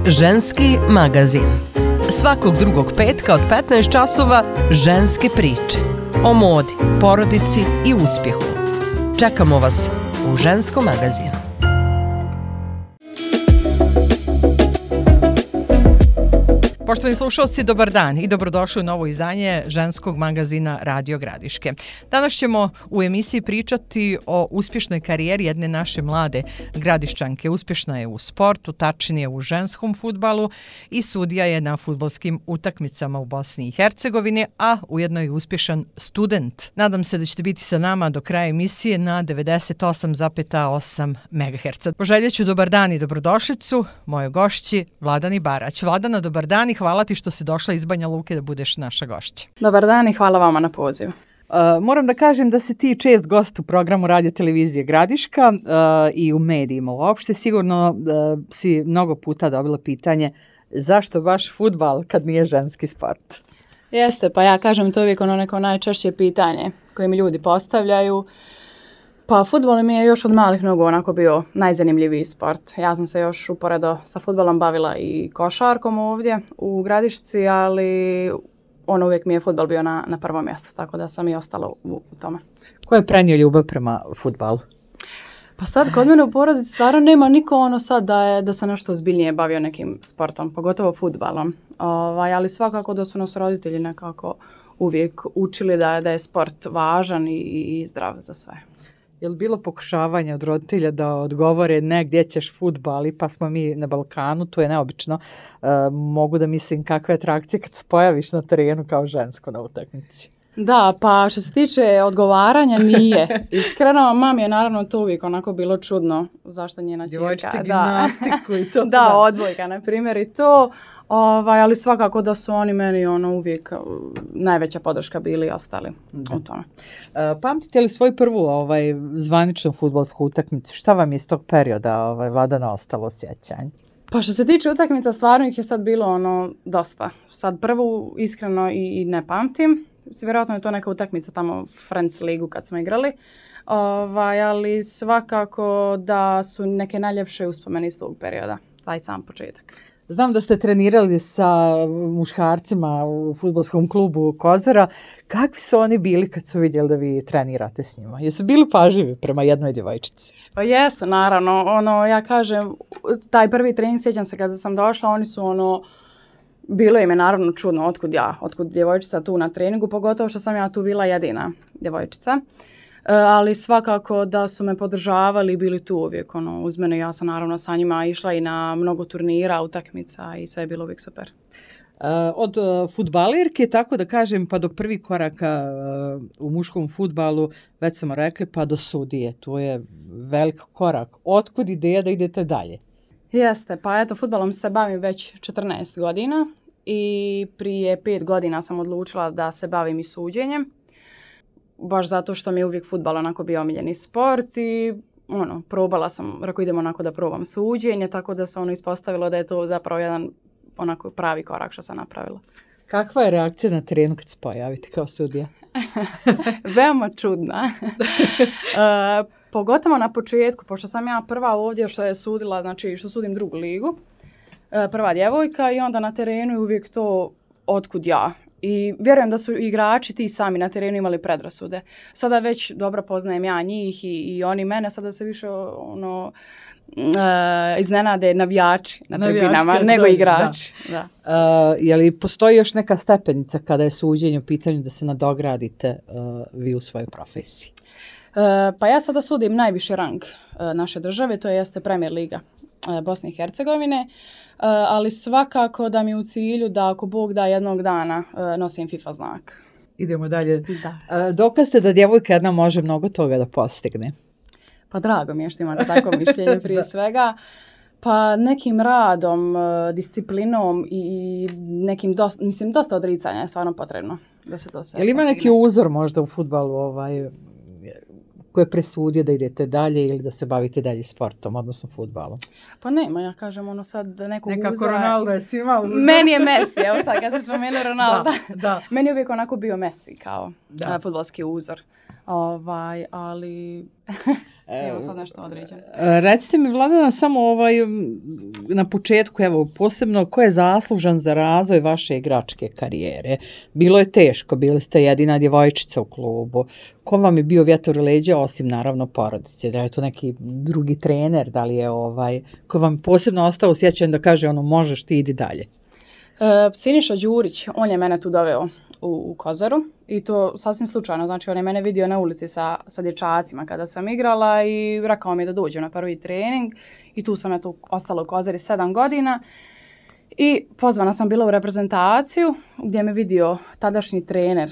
Ženski magazin. Svakog drugog petka od 15 časova ženske priče. O modi, porodici i uspjehu. Čekamo vas u Ženskom magazinu. Poštovani slušalci, dobar dan i dobrodošli u novo izdanje ženskog magazina Radio Gradiške. Danas ćemo u emisiji pričati o uspješnoj karijeri jedne naše mlade gradišćanke. Uspješna je u sportu, tačnije u ženskom fudbalu i sudija je na fudbalskim utakmicama u Bosni i Hercegovini, a ujedno je uspješan student. Nadam se da ćete biti sa nama do kraja emisije na 98,8 MHz. Poželjeću dobar dan i dobrodošlicu mojoj gošći Vladani Barać. Vladana, dobar dan i hvala ti što si došla iz Banja Luke da budeš naša gošća. Dobar dan i hvala vama na pozivu. Moram da kažem da si ti čest gost u programu Radio Televizije Gradiška i u medijima uopšte. Sigurno si mnogo puta dobila pitanje zašto baš fudbal kad nije ženski sport? Jeste, pa ja kažem to uvijek ono neko najčešće pitanje koje mi ljudi postavljaju. Pa fudbal mi je još od malih nogu onako bio najzanimljiviji sport. Ja sam se još uporedo sa fudbalom bavila i košarkom ovdje u Gradišci, ali uvijek mi je fudbal bio na prvom mjestu, tako da sam i ostala u tome. Ko je prenio ljubav prema fudbalu? Pa sad kod mene u porodici stvarno nema niko sad da se nešto ozbiljnije bavio nekim sportom, pogotovo fudbalom. Ali svakako da su nas roditelji nekako uvijek učili da je sport važan i zdrav za sve. Je li bilo pokušavanja od roditelja da odgovore ne gdje ćeš fudbal, pa smo mi na Balkanu, to je neobično. Mogu da mislim kakve atrakcije kad se pojaviš na terenu kao žensko na utakmici. Da, pa što se tiče odgovaranja nije. Iskreno, mami je naravno to uvijek onako bilo čudno zašto njena ćerka. Djevojčice gimnastiku i to. Da, odbojka na primjer i to. Ali svakako da su oni meni uvijek najveća podrška bili i ostali u tome. Pamtite li svoju prvu zvaničnu fudbalsku utakmicu? Šta vam je iz tog perioda Vladana ostalo sjećanje? Pa što se tiče utakmica, stvarno ih je sad bilo dosta. Sad prvu iskreno i ne pamtim. Vjerojatno je to neka utakmica tamo Friends ligu kad smo igrali, ali svakako da su neke najljepše uspomene iz tog perioda, taj sam početak. Znam da ste trenirali sa muškarcima u fudbalskom klubu Kozara. Kakvi su oni bili kad su vidjeli da vi trenirate s njima? Jesu bili pažljivi prema jednoj djevojčici? Pa jesu, naravno. Ja kažem, taj prvi trening, sjećam se kada sam došla, oni su bilo im je naravno čudno otkud djevojčica tu na treningu, pogotovo što sam ja tu bila jedina djevojčica. Ali svakako da su me podržavali i bili tu uvijek uz mene. Ja sam naravno sa njima išla i na mnogo turnira, utakmica i sve je bilo uvijek super. Od fudbalerke, tako da kažem, pa do prvih koraka u muškom fudbalu, već smo rekli, pa do sudije. To je velik korak. Otkud ideja da idete dalje? Jeste, pa eto, fudbalom se bavim već 14 godina i prije 5 godina sam odlučila da se bavim i suđenjem. Baš zato što mi je uvijek fudbal onako bio omiljeni sport i probala sam, rekao idem onako da probam suđenje, tako da se ispostavilo da je to zapravo jedan onako pravi korak što sam napravila. Kakva je reakcija na terenu kad se pojavite kao sudija? Veoma čudna. Pogotovo na početku, pošto sam ja prva ovdje što je sudila, znači što sudim drugu ligu, prva djevojka i onda na terenu je uvijek to otkud ja. I vjerujem da su igrači ti sami na terenu imali predrasude. Sada već dobro poznajem ja njih i oni mene, sada se više iznenade navijači na tribinama nego igrači. Da. Je li postoji još neka stepenica kada je suđenje u pitanju da se nadogradite vi u svojoj profesiji? Pa ja sada sudim najviši rang naše države, to jeste Premier liga Bosne i Hercegovine, ali svakako da mi je u cilju da ako Bog da jednog dana nosim FIFA znak. Idemo dalje. Da. Dokaz ste da djevojka jedna može mnogo toga da postigne? Pa drago mi je što imate tako mišljenje prije svega. Pa nekim radom, disciplinom i nekim dosta odricanja je stvarno potrebno da se to sve postigne. Je li ima neki uzor možda u fudbalu ko je presudio da idete dalje ili da se bavite dalje sportom, odnosno fudbalom? Pa nema, ja kažem sad nekog uzora. Nekako Ronaldo je svima uzor. Meni je Messi, evo sad kad se spomenuli Ronaldo. Da. Meni je uvijek onako bio Messi kao fudbalski uzor. Ali evo sad nešto određeno. Recite mi, Vladana, samo na početku, evo, posebno ko je zaslužan za razvoj vaše igračke karijere? Bilo je teško, bili ste jedina djevojčica u klubu. Ko vam je bio vjetar u leđa, osim naravno porodice? Da li je to neki drugi trener, da li je ko vam posebno ostao sjećan da kaže možeš ti, idi dalje? Siniša Đurić, on je mene tu doveo u Kozaru i to sasvim slučajno, znači on je mene vidio na ulici sa dječacima kada sam igrala i rekao mi je da dođem na prvi trening i tu sam ostala u Kozari 7 godina i pozvana sam bila u reprezentaciju gdje me vidio tadašnji trener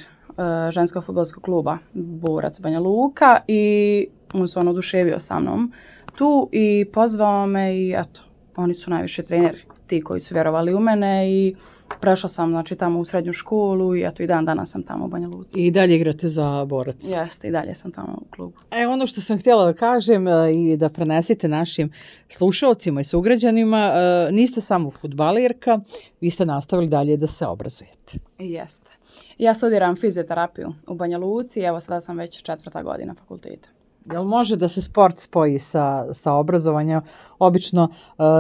ženskog fudbalskog kluba Borac Banja Luka i on se oduševio sa mnom tu i pozvao me i eto, oni su najviše treneri ti koji su vjerovali u mene i prešla sam znači tamo u srednju školu i eto i dan danas sam tamo u Banja Luci. I dalje igrate za Borac? Jeste, i dalje sam tamo u klubu. Ono što sam htjela da kažem i da prenesite našim slušalcima i sugrađanima, niste samo fudbalirka, vi ste nastavili dalje da se obrazujete. Jeste. Ja studiram fizioterapiju u Banja Luci i evo sada sam već 4. godina fakulteta. Jel može da se sport spoji sa obrazovanjem? Obično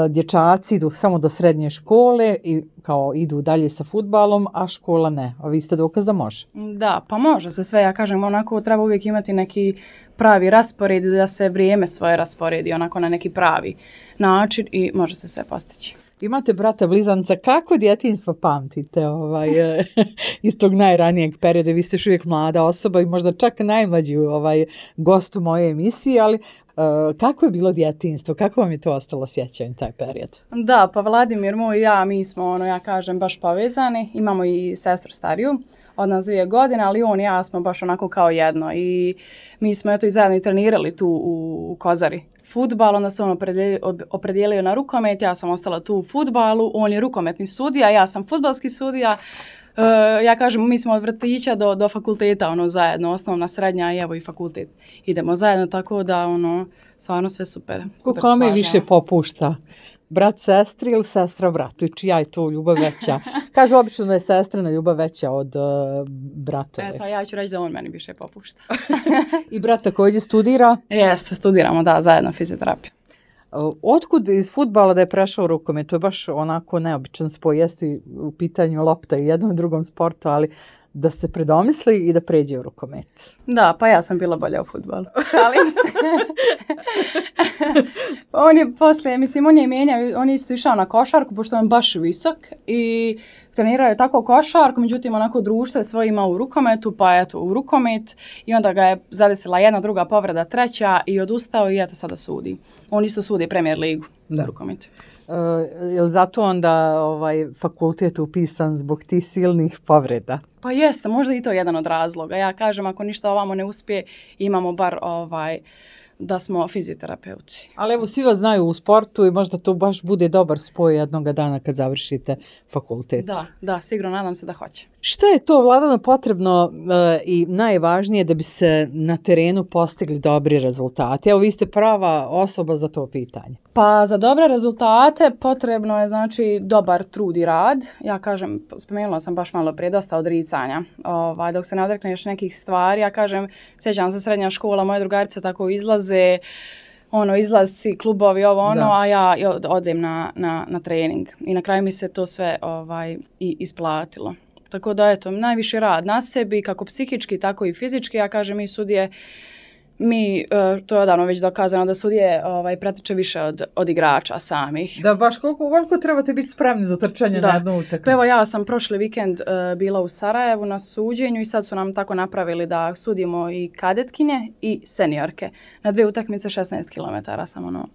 dječaci idu samo do srednje škole i kao idu dalje sa fudbalom, a škola ne. A vi ste dokaz da može. Da, pa može se sve. Ja kažem, onako treba uvijek imati neki pravi raspored, da se vrijeme svoje rasporedi onako na neki pravi način i može se sve postići. Imate brata blizanca, kako djetinjstvo pamtite iz tog najranijeg perioda? Vi ste još uvijek mlada osoba i možda čak najmlađi gost u mojoj emisiji, ali kako je bilo djetinjstvo? Kako vam je to ostalo sjećanje taj period? Da, pa Vladimir moj i ja, mi smo, ja kažem, baš povezani. Imamo i sestru stariju od nas 2 godine, ali on i ja smo baš onako kao jedno i mi smo eto i zajedno i trenirali tu u Kozari fudbal, onda se on opredijelio na rukomet, ja sam ostala tu u fudbalu, on je rukometni sudija, ja sam fudbalski sudija. Ja kažem, mi smo od vrtića do fakulteta zajedno, osnovna, srednja i evo i fakultet. Idemo zajedno, tako da stvarno sve super. Kome više popušta? Brat sestri ili sestra bratu? I čija je to ljubav veća? Kažu obično da je sestrina ljubav veća od bratove. Eto, ja ću reći da on meni više popušta. I brat također studira? Jeste, studiramo, da, zajedno fizioterapiju. Otkud iz fudbala da je prešao u rukomet? To je baš onako neobičan spoj. Jeste u pitanju lopta i jednom i drugom sportu, ali da se predomisli i da pređe u rukomet. Da, pa ja sam bila bolja u fudbalu. Šalim se. On je poslije, on je mijenjao, on je isto išao na košarku, pošto on baš visok i trenirao je tako košarku, međutim onako društvo je svoje imao u rukometu, pa eto u rukomet i onda ga je zadesila jedna, druga povreda, treća i odustao i eto sada sudi. On isto sudi Premier ligu u rukometu. Je li zato onda fakultet upisan zbog tih silnih povreda? Pa jeste, možda i to jedan od razloga. Ja kažem, ako ništa ovamo ne uspije, imamo bar da smo fizioterapeuti. Ali evo, svi vas znaju u sportu i možda to baš bude dobar spoj jednog dana kad završite fakultet. Da, sigurno, nadam se da hoće. Šta je to, Vladana, potrebno i najvažnije da bi se na terenu postigli dobri rezultati? Evo, vi ste prava osoba za to pitanje. Pa za dobre rezultate potrebno je znači dobar trud i rad. Ja kažem, spomenula sam baš malo prije, dosta odricanja. Dok se ne odrekneš nekih stvari, ja kažem, sjećam se srednja škola, moje drugarice tako izlaze, izlazci, klubovi, a ja odem na trening. I na kraju mi se to sve i isplatilo. Tako da, eto, najviše rad na sebi, kako psihički, tako i fizički. Ja kažem, mi sudije, to je odavno već dokazano da sudije pretiče više od igrača samih. Da, baš koliko trebate biti spremni za trčanje na jednu utakmicu? Evo, ja sam prošli vikend bila u Sarajevu na suđenju i sad su nam tako napravili da sudimo i kadetkinje i seniorke. Na 2 utakmice 16 km sam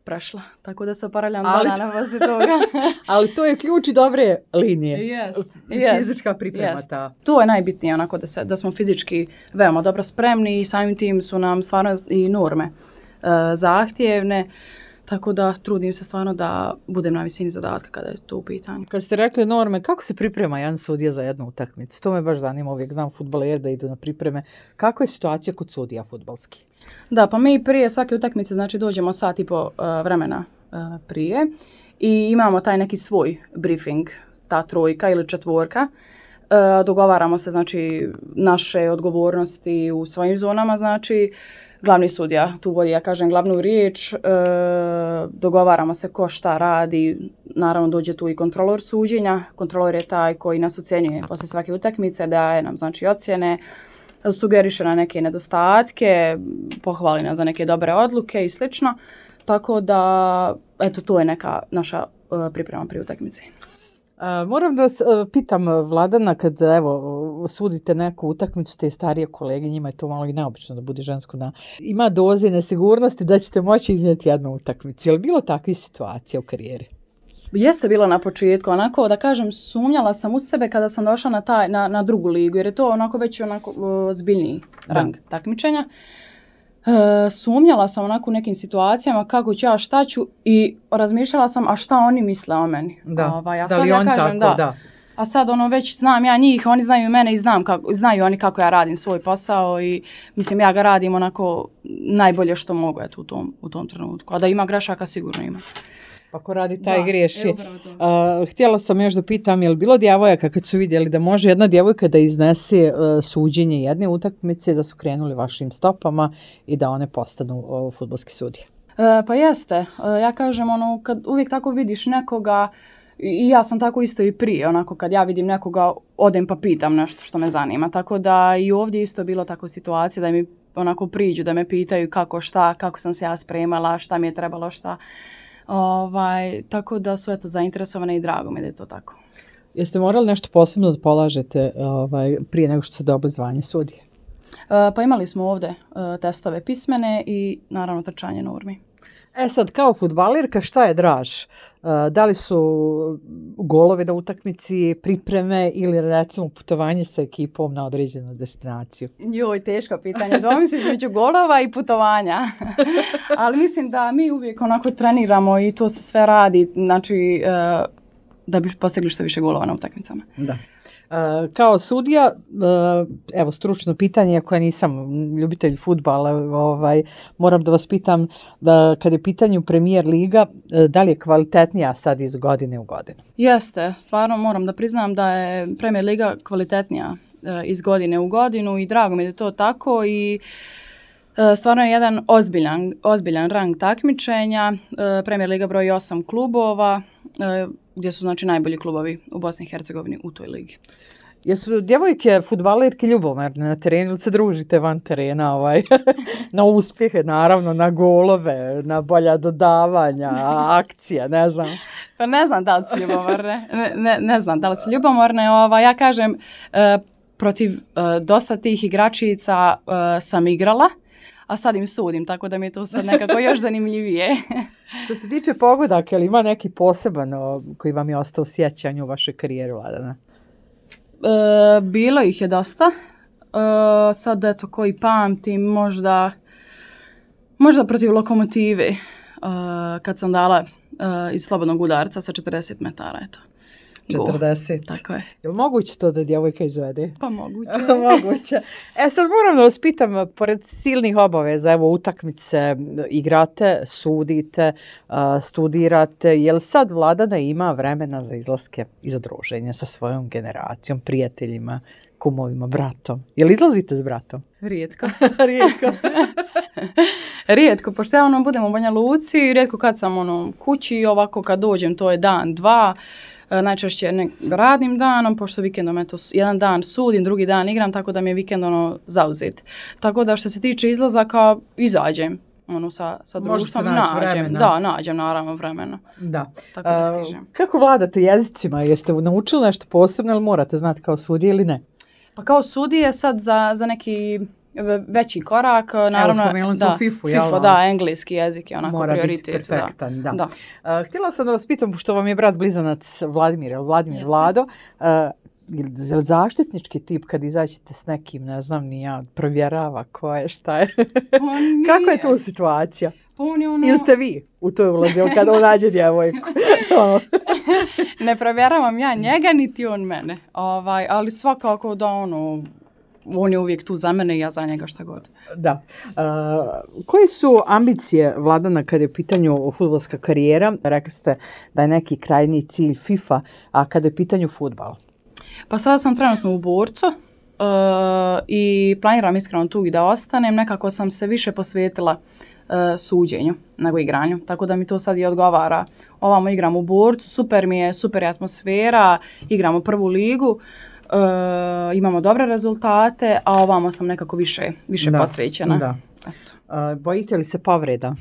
prošla, tako da se oporavljam 2 dana poslije toga. Ali to je ključ i dobre linije. Fizička priprema ta. To je najbitnije, onako da smo fizički veoma dobro spremni i samim tim su nam stvarno i norme zahtjevne. Tako da trudim se stvarno da budem na visini zadatka kada je to u pitanju. Kad ste rekli norme, kako se priprema jedan sudija za jednu utakmicu? To me baš zanima, uvijek znam fudbaler da idu na pripreme. Kako je situacija kod sudija fudbalski? Da, pa mi prije svake utakmice znači dođemo 1.5 sata vremena prije i imamo taj neki svoj briefing, ta 3 ili 4. Dogovaramo se, znači, naše odgovornosti u svojim zonama, znači, glavni sudija tu vodi, ja kažem, glavnu riječ, dogovaramo se ko šta radi, naravno dođe tu i kontrolor suđenja, kontrolor je taj koji nas ocjenjuje poslije svake utakmice, daje nam, znači, ocjene, sugeriše na neke nedostatke, pohvali nas za neke dobre odluke i slično, tako da, eto, to je neka naša priprema pri utakmici. Moram da vas pitam, Vladana, kad evo sudite neku utakmicu, te starije kolege, njima je to malo i neobično da bude žensko, ima doze nesigurnosti da ćete moći iznijeti jednu utakmicu. Je li bilo takvih situacija u karijeri? Jeste bilo na početku, onako da kažem, sumnjala sam u sebe kada sam došla na drugu ligu, jer je to onako već zbiljniji rang takmičenja. Sumnjala sam onako u nekim situacijama kako ću ja, šta ću, i razmišljala sam a šta oni misle o meni. Da li on kažem, tako, da. A sad već znam ja njih, oni znaju mene i znaju oni kako ja radim svoj posao i mislim ja ga radim onako najbolje što mogu u tom trenutku. A da ima grešaka sigurno ima. Ako radi taj griješi. Htjela sam još da pitam, je li bilo djevojaka kad su vidjeli da može jedna djevojka da iznese suđenje jedne utakmice, da su krenuli vašim stopama i da one postanu fudbalski sudije? Pa jeste. Ja kažem, kad uvijek tako vidiš nekoga, i ja sam tako isto i prije, onako kad ja vidim nekoga, odem pa pitam nešto što me zanima. Tako da i ovdje isto bilo tako situacija da mi onako priđu, da me pitaju kako šta, kako sam se ja spremala, šta mi je trebalo, šta. Tako da su zainteresovane i drago mi da je to tako. Jeste morali nešto posebno da polažete prije nego što ste dobili zvanje sudije? Pa imali smo ovdje testove pismene i naravno trčanje normi. Sad, kao fudbalirka, šta je draž? Da li su golovi na utakmici, pripreme ili recimo putovanje sa ekipom na određenu destinaciju? Joj, teško pitanje. Dvojim se između golova i putovanja. Ali mislim da mi uvijek onako treniramo i to se sve radi, znači da bi postigli što više golova na utakmicama. Da. Kao sudija, evo stručno pitanje, ako ja nisam ljubitelj fudbala, moram da vas pitam kad je pitanju Premier liga, da li je kvalitetnija sad iz godine u godinu? Jeste, stvarno moram da priznam da je Premier liga kvalitetnija iz godine u godinu i drago mi je da je to tako i stvarno je jedan ozbiljan rang takmičenja. Premier liga broji 8 klubova, gdje su znači najbolji klubovi u Bosni i Hercegovini u toj ligi. Jesu djevojke fudbalerke ljubomorne na terenu ili se družite van terena na uspjehe, naravno, na golove, na bolja dodavanja, akcija, ne znam. Pa ne znam da li su ljubomorne. Ne znam da li su ljubomorne. Ja kažem, protiv dosta tih igračica sam igrala, a sad im sudim, tako da mi je to sad nekako još zanimljivije. Što se tiče pogodaka, ili ima neki poseban koji vam je ostao u sjećanju u vašoj karijeri, Vladana? Bilo ih je dosta. Sad eto koji pamtim, možda protiv Lokomotive, kad sam dala iz slobodnog udarca sa 40 metara, eto. 40. Tako je. Je li moguće to da djevojka izvede? Pa moguće. Moguće. Sad moram da vas pitam, pored silnih obaveza, evo utakmice, igrate, sudite, studirate, je li sad Vladana ima vremena za izlaske i za druženje sa svojom generacijom, prijateljima, kumovima, bratom? Je li izlazite s bratom? Rijetko. Rijetko. Rijetko, pošto ja budem u Banja Luci, rijetko kad sam kući, ovako kad dođem to je dan, dva. Najčešće radnim danom, pošto vikendom jedan dan sudim, drugi dan igram, tako da mi je vikend zauzet. Tako da što se tiče izlazaka, izađem sa društvom, nađem. Da, nađem naravno vremena. Da. Tako da stižem. Kako vladate jezicima? Jeste naučili nešto posebno ili morate znati kao sudije ili ne? Pa kao sudije sad za neki veći korak, naravno. Evo, spomenuli smo FIFU, jel? FIFU, da, engleski jezik je onako prioritet. Mora biti perfektan, da. Htjela sam da vas pitam, pošto vam je brat blizanac Vladimir Vlado, je li zaštitnički tip kad izađete s nekim, ne znam ni ja, provjerava ko je, šta je? Kako je tu situacija? Ili ste vi u to ulazio kada on nađe djevojku? Ne provjeravam ja njega, niti on mene. Ali svakako da on je uvijek tu za mene i ja za njega šta god. Da. Koje su ambicije Vladana kada je u pitanju fudbalska karijera? Rekli ste da je neki krajnji cilj FIFA, a kada je u pitanju fudbal? Pa sada sam trenutno u Borcu i planiram iskreno tu i da ostanem. Nekako sam se više posvetila suđenju nego igranju, tako da mi to sad i odgovara. Ovamo igram u Borcu, super mi je, super je atmosfera, igramo prvu ligu, imamo dobre rezultate, a ovamo sam nekako više posvećena. Da. Bojite li se povreda?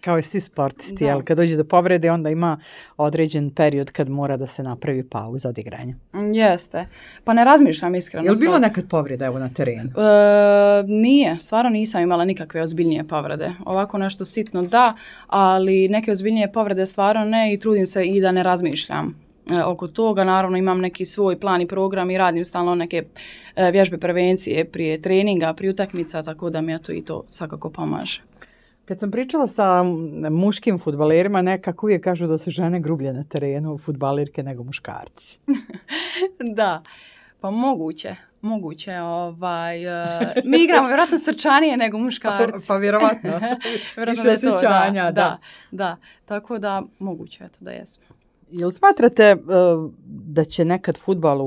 Kao i svi sportisti, jel? Kad dođe do povrede, onda ima određen period kad mora da se napravi pauza od igranja. Jeste. Pa ne razmišljam iskreno. Je li bilo nekad povreda evo na terenu? Nije, stvarno nisam imala nikakve ozbiljnije povrede. Ovako nešto sitno da, ali neke ozbiljnije povrede stvarno ne i trudim se i da ne razmišljam oko toga. Naravno imam neki svoj plan i program i radim stalno neke vježbe prevencije prije treninga, prije utakmica, tako da mi to i to svakako pomaže. Kad sam pričala sa muškim fudbalerima, nekako uvijek kažu da su žene grublje na terenu, fudbalerke nego muškarci. Da, pa moguće. Mi igramo vjerojatno srčanije nego muškarci. Pa vjerovatno. Više osjećanja, da. Tako da moguće je to da jesmo. Jel smatrate da će nekad fudbal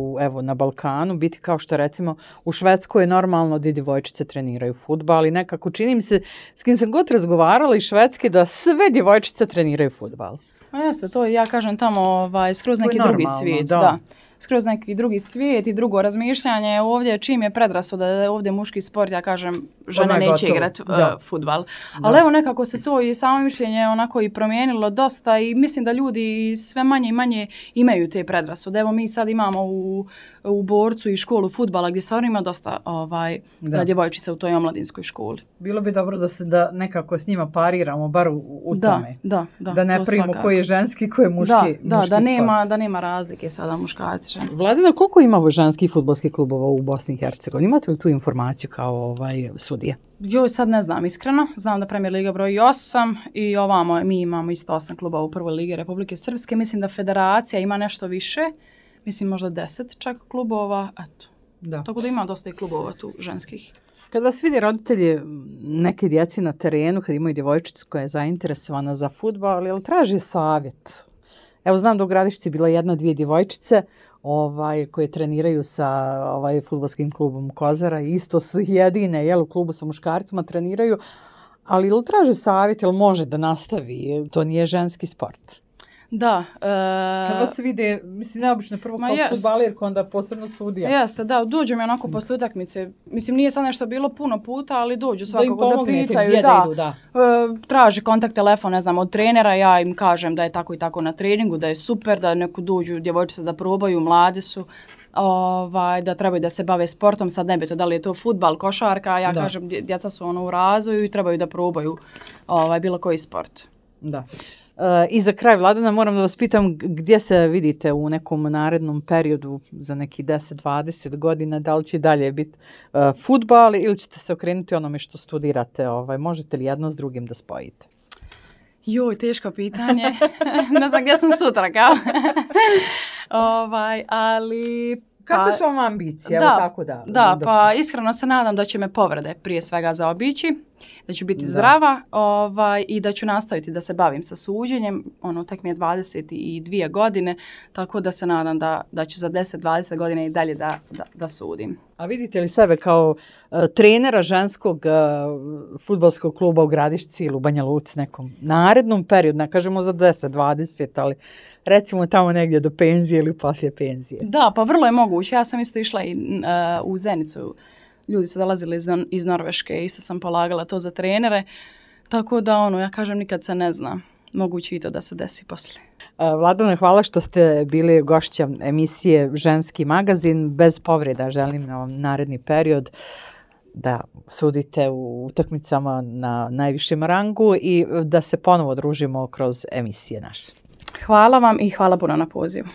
na Balkanu biti kao što recimo u Švedskoj je normalno da djevojčice treniraju fudbal i nekako čini mi se s kim sam god razgovarala iz Švedske da sve djevojčice treniraju fudbal. A jeste, to ja kažem tamo skroz neki drugi svijet. Da. Skroz neki drugi svijet i drugo razmišljanje. Ovdje čim je predrasuda da je ovdje muški sport, ja kažem žene neće igrati fudbal. Ali evo nekako se to i samo mišljenje onako i promijenilo dosta i mislim da ljudi sve manje i manje imaju te predrasude. Evo mi sad imamo u Borcu i školu fudbala gdje stvarno ima dosta djevojčica u toj omladinskoj školi. Bilo bi dobro da nekako s njima pariramo, bar u tome. Da ne primimo koji je ženski, koji je muški sport. Da nema razlike sada muškarci. Vladina, koliko ima ženskih fudbalskih klubova u Bosni i Hercegovini? Imate li tu informaciju kao sudija? Joj, sad ne znam iskreno. Znam da Premier Liga broji 8 i ovamo mi imamo isto 8 klubova u prvoj ligi Republike Srpske. Mislim da federacija ima nešto više. Mislim možda 10 čak klubova. Eto. Tako da ima dosta i klubova tu ženskih. Kad vas vidi roditelji neke djeci na terenu, kad imaju djevojčicu koja je zainteresovana za fudbal, jel traži savjet? Evo znam da u Gradišci bila 1-2 djevojčice koje treniraju sa fudbalskim klubom Kozara i isto su jedine u klubu sa muškarcima treniraju, ali ili traže savjet, ili može da nastavi, to nije ženski sport. Da. Kad vas vide, mislim neobično prvo kao fudbalerka, onda posebno sudija. Jeste, da, dođu mi onako posle utakmice. Mislim nije sad nešto bilo puno puta, ali dođu svakako da pitaju. Traži kontakt telefon, ne znam, od trenera, ja im kažem da je tako i tako na treningu, da je super, da neko dođu djevojčice da probaju, mlade su. Da trebaju da se bave sportom, sad ne bito da li je to fudbal, košarka, ja kažem djeca su u razvoju i trebaju da probaju bilo koji sport. Da. I za kraj, Vladana, moram da vas pitam gdje se vidite u nekom narednom periodu za neki 10-20 godina, da li će dalje biti fudbal ili ćete se okrenuti onome što studirate, možete li jedno s drugim da spojite? Joj, teško pitanje, ne znam gdje sam sutra kao, ali... Kakve su vam ambicije? Pa iskreno se nadam da će me povrede prije svega zaobići, da ću biti zdrava i da ću nastaviti da se bavim sa suđenjem. Tek mi je 22 godine, tako da se nadam da ću za 10-20 godina i dalje da sudim. A vidite li sebe kao trenera ženskog fudbalskog kluba u Gradišci ili u Banja Luci nekom narednom periodu, ne kažemo za 10-20, ali recimo tamo negdje do penzije ili poslije penzije? Da, pa vrlo je moguće. Ja sam isto išla i u Zenicu. Ljudi su dolazili iz Norveške, isto sam polagala to za trenere. Tako da ja kažem nikad se ne zna. Moguće i to da se desi poslije. Vladana, hvala što ste bili gošća emisije Ženski magazin. Bez povreda želim na vam naredni period da sudite u utakmicama na najvišem rangu i da se ponovo družimo kroz emisije naše. Hvala vam i hvala puno na pozivu.